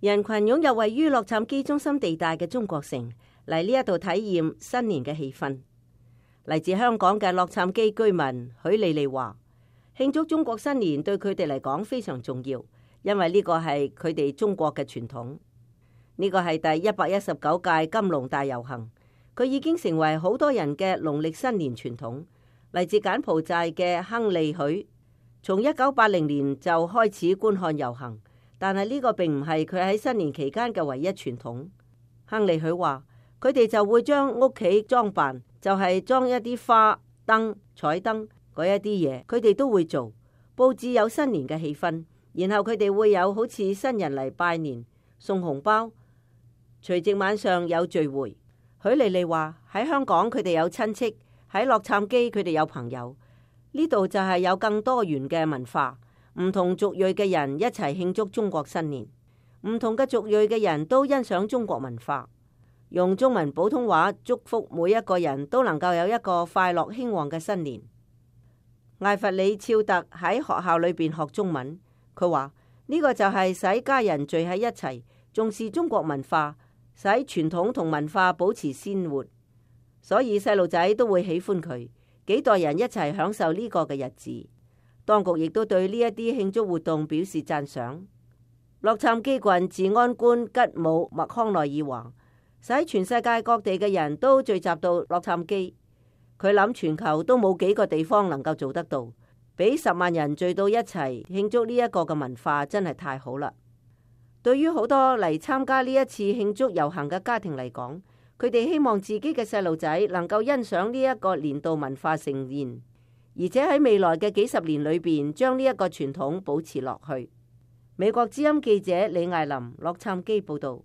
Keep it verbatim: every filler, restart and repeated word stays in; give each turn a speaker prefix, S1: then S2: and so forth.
S1: 人群湧入位於洛杉磯中心地帶嘅中國城，嚟呢一度體驗新年嘅氣氛。嚟自香港嘅洛杉磯居民許莉莉話，慶祝中國新年對佢哋嚟講非常重要，因為呢個係佢哋中國嘅傳統。呢個係第一百一十九屆金龍大遊行，佢已經成為好多人嘅農曆新年傳統。嚟自柬埔寨嘅亨利許，從一九八零年就開始觀看遊行，但係呢個並唔係佢喺新年期間嘅唯一傳統。亨利許話，佢哋就會將屋企裝扮，就係裝一啲花燈、彩燈嗰一啲嘢，佢哋都會做，佈置有新年嘅氣氛。然後佢哋會有好似新人嚟拜年、送紅包。除夕晚上有聚會。許莉莉話喺香港佢哋有親戚，喺洛杉磯佢哋有朋友，呢度就係有更多元嘅文化，唔同族裔嘅人一齊慶祝中國新年。唔同嘅族裔嘅人都欣賞中國文化，用中文普通話祝福每一個人都能夠有一個快樂興旺嘅新年。艾弗里肖特喺學校裏邊學中文，佢話呢個就係使家人聚喺一齊，重視中國文化，使傳統同文化保持鮮活，所以細路仔都會喜歡佢，幾代人一齊享受呢個嘅日子。當局亦都對呢一啲慶祝活動表示讚賞。洛杉磯郡治安官吉姆麥康奈爾話，使全世界各地嘅人都聚集到洛杉磯，佢諗全球都冇幾個地方能夠做得到，俾十萬人聚到一齊慶祝呢一個嘅文化真係太好啦。對於好多嚟參加呢一次慶祝遊行嘅家庭嚟講，佢哋希望自己嘅細路仔能夠欣賞呢一個年度文化盛宴，而且喺未來嘅幾十年裏邊將呢一個傳統保持落去。美國之音記者李艾琳洛杉磯報道。